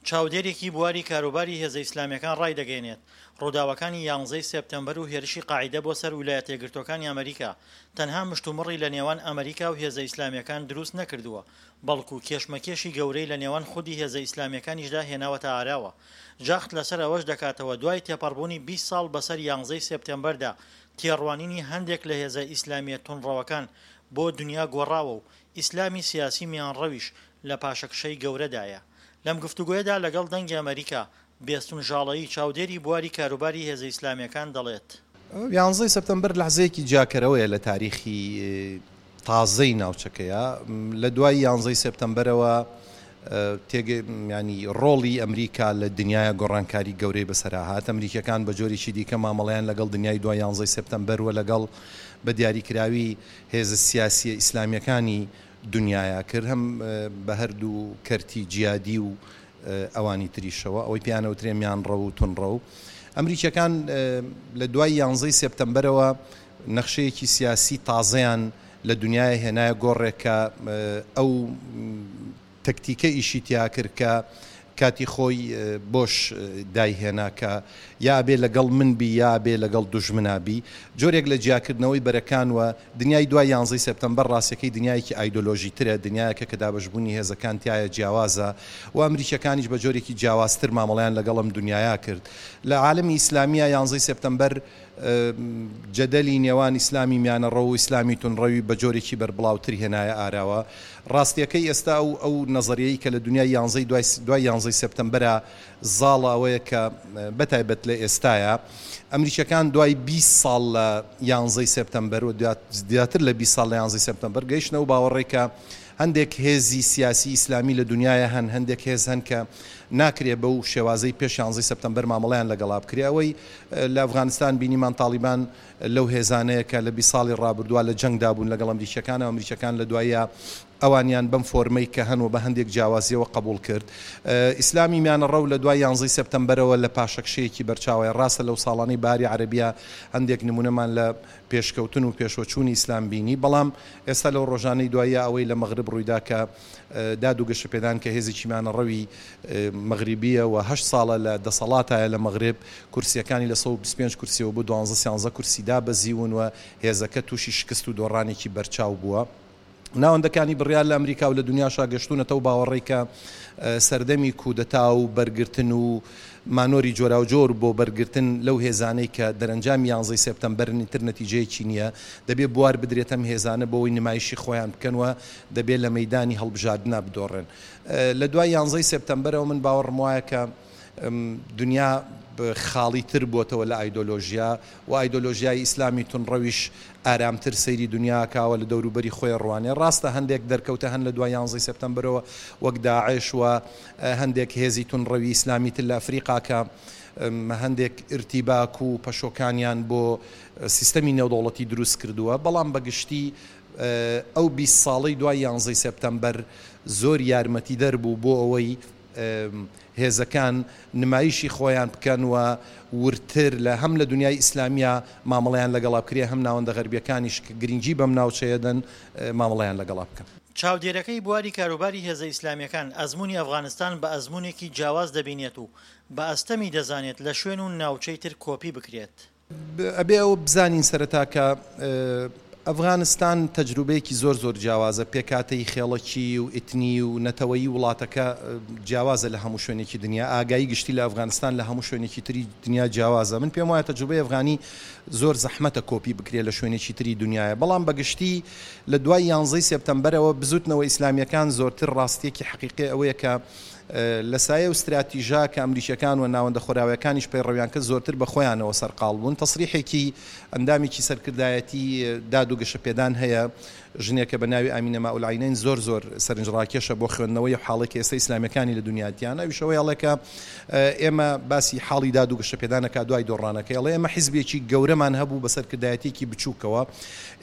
چاودێرێکی بواری کاروباری هێزە ئیسلامیەکان ڕایدەگەیەنێت، ڕووداوەکانی یانزەی سێپتەمبەر و هێرشی قاعیدە بۆ سەر ویلایەتەیەکگرتووەکانی ئەمریکا تەنها مشتومڕی لە نێوان ئەمریکا و هێزە ئیسلامیەکان دروست نەکردووە بەڵکو کێشمەکێشی گەورەی لە نێوان خودی هێزە ئیسلامیەکانیشدا هێناوەتە ئاراوە. جەخت لەسەر ئەوەش دەکاتەوە دوای تێپەڕبوونی 20 ساڵ بەسەر یانزەی سێپتەمبەردا تێڕوانینی هەندێک لە هێزە ئیسلامیە توندڕەوەکان بۆ دونیا گۆڕاوە و ئیسلامی سیاسی میانڕەویش لە پاشەکشەی گەورەدایە. لەم گفتوگۆیەدا لەگەڵ دەنگی ئەمەریکا، بێستون ژاڵەیی، چاودێری بواری کاروباری هێزە ئیسلامییەکان دەڵێت. یانزەی سەپتەمبەر لەحزەیەکی جیاکەرەوەیە لە تاریخی تازەی ناوچەکەیا. لە دوای یانزەی سێپتەمبەرەوە تێگە یانی ڕۆڵی ئەمریکا لە دنیایا گۆڕانکاری گەورەی بەسەرا هات. ئەمریکیەکان بە جۆرێکی دیکە مامەڵەیان لەگەڵ دنیای دوای یانزەی سێپتەمبەر و لەگەڵ بە دیاریکراوی هێزە سیاسیە ئیسلامیەکانی دنیایا کرد هەم بە هەردوو کەرتی جیادی و ئەوانی تریشەوە ئەوەی پێیان ئەوترێ میانڕەو و تونڕەو. ئەمریکیەکان لە دوای یانزەی سێپتەمبەرەوە نەخشەیەکی سیاسی تازەیان لە دنیایا هێنایە گۆڕێ کە ئەو تەکتیکە ئیشی تیا کرد کە کاتی خۆی بۆش دایهێنا کە یا ئەبێ لەگەڵ من بی یا ئەبێ لەگەڵ دوژمنا بی. جۆرێک لە جیاکردنەوەی بەرەکان و دنیای دوای یانزەی سێپتەمبەر ڕاستیەکەی دنیایەکی ئایدۆلۆژیترە، دنیایەکە کە دابەشبوونی هێزەکان تیایا جیاوازە و ئەمریکیەکانیش بە جۆرێکی جیاوازتر مامەڵەیان لەگەڵ ئەم دنیایا کرد. لە عالەمی ئیسلامییا یانزەی سێپتەمبەر جەدەلی نێوان ئیسلامی میانەڕەو و ئیسلامی توندڕەوی بە جۆرێکی بەربڵاوتر هێنایە ئاراوە. ڕاستییەکەی ئێستا ئەو ئەو نەزەریەی کە لە دونیای یانزەی دوای دوای یانزەی سێپتەمبەرا زاڵە ئەوەیە کە بە تایبەت لە ئێستایا ئەمریکیەکان دوای 20 ساڵ لە یانزەی سێپتەمبەر و زیاتر لە 20 ساڵ لە یانزەی سێپتەمبەر گەیشتنە ئەو باوەڕەی کە هەندێک هێزی سیاسی ئیسلامی لە دونیایا هەن، هەندێک هێز هەن کە ناکرێ بەو شێوازەی پێش یانزەی سێپتەمبەر مامەڵەیان لەگەڵا بکرێ. ئەوەی لە ئەفغانستان بینیمان تاڵیبان لەو هێزانەیە کە لە 20 ساڵی ڕابردووە لە جەنگدا بوون لەگەڵ ئەمریکییەکان و ئەمریکییەکان لە دواییا ئەوانیان بەم فۆرمەی کە هەن و بە هەندێک جیاوازییەوە قەبووڵ کرد. ئیسلامی میانەڕەو لە دوای یانزەی سێپتەمبەرەوە لە پاشەکشەیەکی بەرچاوەیە. ڕاستە لەو ساڵانەی بەهاری عەرەبییە هەندێک نموونەمان لە پێشکەوتن و پێشوەچوونی ئیسلام بینی، بەڵام ئێستا لەو ڕۆژانەی دواییا ئەوەی لە مەغرب ڕوویدا کە داد و گەشەپێدان کە هێزێکی میانەڕەوی مەغریبییە و هەشت ساڵە لە دەسەڵاتایە لە مەغرب، کورسییەکانی لە 125 کورسییەوە بۆ دوانزە سیانزە کورسی دابەزیون و هێزەکە تووشی شکست و دۆڕانێکی بەرچاو بووە. ناوەندەکانی بڕیار لە ئەمریکا و لە دونیاشا گەشتوونەتە ئەو باوەڕەی کە سەردەمی کودەتا و بەرگرتن و مانۆری جۆراوجۆر بۆ بەرگرتن لەو هێزانەی کە دەرەنجامی یانزەی سێپتەمبەرن ئیتر نەتیجەیەکی نییە، دەبێ بوار بدرێتە ئەم هێزانە بۆ ئەوەی نمایشی خۆیان بکەن و دەبێ لە مەیدانی هەڵبژاردنا بدۆڕێن. لە دوای یانزەی سێپتەمبەرەوە من باوەڕم وایە کە دونیا خاڵیتر بۆتەوە لە ئایدۆلۆژیا و ئایدۆلۆژیای ئیسلامی توندڕەویش ئارامتر سەیری دونیا ئەکا و لە دەوروبەری خۆی ئەڕوانێ. ڕاستە هەندێک دەرکەوتە هەن لە دوای یانزەی سێپتەمبەرەوە وەک داعش و هەندێک هێزی توندڕەوی ئیسلامی تر لە ئەفریقا کە هەندێک ئیرتیباک و پەشۆکانیان بۆ سیستەمی نێودەوڵەتی دروست کردووە، بەڵام بە گشتی ئەو 20 ساڵەی دوای یانزەی سێپتەمبەر زۆر یارمەتیدەر بوو بۆ ئەوەی هێزەکان نمایشی خۆیان بکەن و وردتر لە هەم لە دونیای ئیسلامییا مامەڵەیان لەگەڵا بکرێ هەم ناوەندە غەربییەکانیش کە گرنگی بەم ناوچەیە دەن مامەڵەیان لەگەڵا بکەن. چاودێرەکەی بواری کاروباری هێزە ئیسلامییەکان ئەزموونی ئەفغانستان بە ئەزموونێکی جیاواز دەبینێت و بە ئەستەمی دەزانێت لە شوێن و ناوچەی تر کۆپی بکرێت. ئەبێ ئەوە بزانین سەرەتا کە ئەفغانستان تەجروبەیەکی زۆر زۆر جیاوازە، پێکهاتەی خێڵەکی و ئیتنی و نەتەوەیی وڵاتەکە جیاوازە لە هەموو شوێنێکی دنیا، ئاگایی گشتی لە ئەفغانستان لە هەموو شوێنێکی تری دنیا جیاوازە. من پێم وایە تەجروبەی ئەفغانی زۆر زەحمەتە کۆپی بکرێ لە شوێنێکی تری دنیایە، بەڵام بە گشتی لە دوای یانزەی سێپتەمبەرەوە بزوتنەوە ئیسلامییەکان زۆرتر ڕاستییەکی حەقیقی ئەوەیە کە لە سایە و ستراتیژە کە ئەمریکیەکان و ناوەندە خۆراویەکانیش پەیڕەویان کرد زۆرتر بە خۆیانەوە سەرقاڵ بوون. تەسریحێکی ئەندامێکی سەرکردایەتی داد و گەشەپێدان هەیە، ژنێکە بە ناوی ئامینە ماءالعینین زۆر زۆر سەرنجڕاکێشە بۆ خوێندنەوەی ئەو حاڵەی کە ئێستا ئیسلامیەکانی لە دونیا تیانە، ئەویش ئەوەی ئەڵێ کە ئێمە باسی حاڵی داد و گەشەپێدان ئەکا دوای دۆڕانەکەی ئەڵێ ئێمە حیزبێکی گەورەمان هەبوو بە سەرکردایەتیەکی بچووکەوە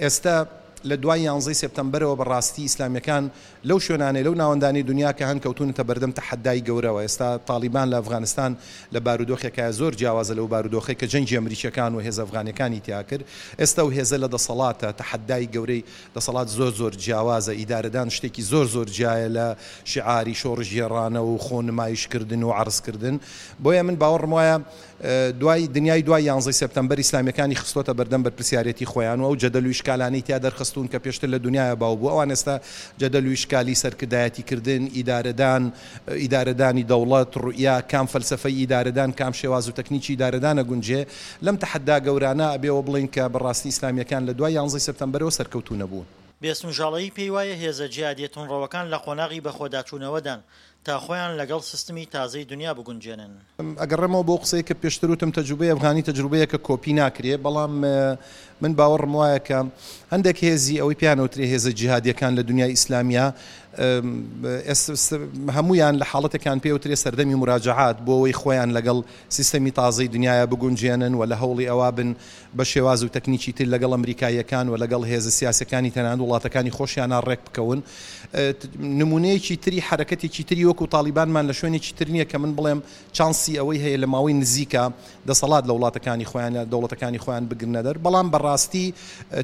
ئێستا. لە دوای یانزەی سێپتەمبەرەوە بە ڕاستی ئیسلامیەکان لەو شوێنانەی لەو ناوەندانەی دونیا کە هەن کەوتوونەتە بەردەم تەحەدای گەورەوە. ئێستا تاڵیبان لە ئەفغانستان لە بارودۆخێکایە زۆر جیاوازە لەو بارودۆخەی کە جەنگی ئەمریکیەکان و هێزە ئەفغانیەکانی تیا کرد. ئێستا ئەو هێزە لە دەسەڵاتە، تەحەدای گەورەی دەسەڵات زۆر زۆر جیاوازە، ئیدارەدان شتێکی زۆر زۆر جیایە لە شیعاری شۆڕشگێڕانە و خۆ نمایش کردن و عەرز کردن. بۆیە من باوەڕم وایە دوای دنیای دوای یانزەی سێپتەمبەر ئیسلامیەکانی خستۆتە بەردەم بەرپرسیارێتی خۆیان و ئەو جەدەل و ئیشکالانەی تیا دەرخستوون کە پێشتر لە دنیایا باو بوو ئەوان ئێستا جەدەل و ئیشکالی سەرکردایەتی کردن، ئیدارەدان، ئیدارەدانی دەوڵەت، ڕوئیا، کام فەلسەفەی ئیدارەدان، کام شێواز و تەکنیکی ئیدارەدان ئەگونجێ، لەم تەحەدا گەورانە ئەبێ ئەوە بڵێین کە بەڕاستی ئیسلامیەکان لە دوای یانزەی سێپتەمبەرەوە سەرکەوتوو نەبوون. بێستون ژاڵەیی پێی وایە هێزە جیهادیە توندڕەوەکان لە قۆناغی بەخۆداچوونەوەدان تا خۆیان لەگەڵ سیستمی تازەی دونیا بگونجێنن. ئەگەڕێمەوە بۆ قسەی کە پێشتر وتم تەجروبەی ئەفغانی تەجروبەیەکە کۆپی ناکرێ، بەڵام من باوەڕم وایە کە هەندێک هێزی ئەوەی پێیان ئەوترێ هێزە جیهادیەکان لە دنیای ئیسلامیا هەموویان لە حاڵەتێکان پێ ئەوترێ سەردەمی مراجعات بۆ ئەوەی خۆیان لەگەڵ سیستەمی تازەی دنیایا بگونجێنن و لە هەوڵی ئەوە بن بە شێواز و تەکنیکی تر لەگەڵ ئەمریکاییەکان و لەگەڵ هێزە سیاسیەکانی تەنانەت وڵاتەکانی خۆشیانا ڕێک بکەون. نمونەیەکی تری حەرەکەتێکی تری وەکو تاڵیبانمان لە شوێنێکی تر نییە کە من بڵێم چانسی ئەوەی هەیە لە ماوەی نزیکا دەسەڵات لە وڵاتەکانی خۆیان یا دەوڵەتەکانی خۆیان بگرنە دەر. بەڵام بە ڕاستی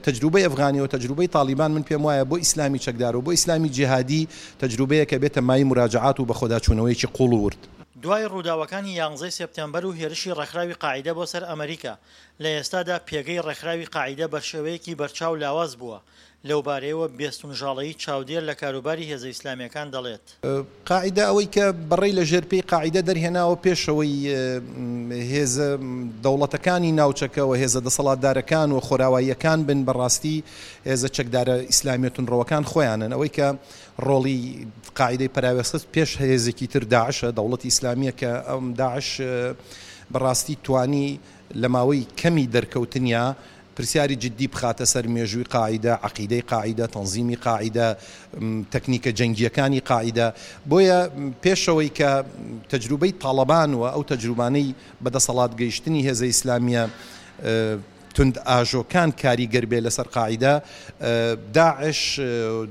تەجروبەی ئەفغانی و تەجروبەی تاڵیبان من پێم وایە بۆ ئیسلامی چەکدار و بۆ ئیسلامی جیهادی تەجروبەیەکە بێتە مایەی موراجەعات و بەخۆداچوونەوەیەکی قووڵ و ورد. دوای ڕووداوەکانی یانزەی سێپتێمبەر و هێرشی ڕێکخراوی قاعیدە بۆ سەر ئەمریکا، لە ئێستادا پێگەی ڕێکخراوی قاعیدە بەشێوەیەکی بەرچاو لاواز بووە، لەوبارەیەوە بێستون ژاڵەیی چاودێر لە کاروباری هێزە ئیسلامییەکان دەڵێت. قاعیدە ئەوەی کە بەڕەی لە ژێر پێی قاعیدە دەرهێناوە پێشەوەی هێزە دەوڵەتەکانی ناوچەکە و هێزە دەسەڵاتدارەکان و خۆراواییەکان بن بەڕاستی هێزە چەکدارە ئیسلامیە توندڕەوەکان خۆیانن ئەوەی کە ڕۆڵی قاعیدەی پەراوێزخست پێش هێزێکی تر داعشە، دەوڵەتی ئیسلامییە کە ئەم داعش بەڕاستی توانی لە ماوەی کەمی دەرکەوتنیا پرسیاری جدی بخاتە سەر مێژووی قاعیدە، عەقیدەی قاعیدە، تەنزیمی قاعیدە، تەکنیکە جەنگییەکانی قاعیدە. بۆیە پێشەوەی کە تەجروبەی تاڵەبان و ئەو تەجروبانەی بە دەسەڵات گەیشتنی هێزە ئیسلامییە توندئاژۆکان کاریگەر بێ لەسەر قاعیدە، داعش،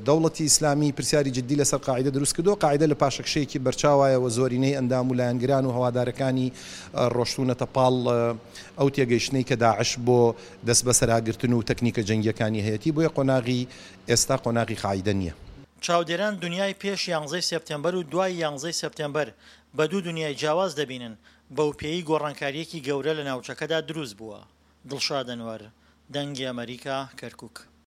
دەوڵەتی ئیسلامی پرسیاری جدی لەسەر قاعیدە دروست کردووە، قاعیدە لە پاشەکشەیەکی بەرچاوایە و زۆرینەی ئەندام و لایەنگران و هەوادارەکانی ڕۆشتوونەتە پاڵ ئەو تێگەیشتنەی کە داعش بۆ دەستبەسەراگرتن و تەکنیکە جەنگییەکانی هەیەتی، بۆیە قۆناغی ئێستا قۆناغی قاعیدە نییە. چاودێران دونیای پێش یانزەی سێپتێمبەر و دوای یانزەی سێپتێمبەر بە دوو دونیای جیاواز دەبینن، بەوپێیەی گۆڕانکارییەکی گەورە لە ناوچەکەدا دروست بووە. دڵشاد ئەنوەر، دەنگی ئەمەریکا، کەرکوک.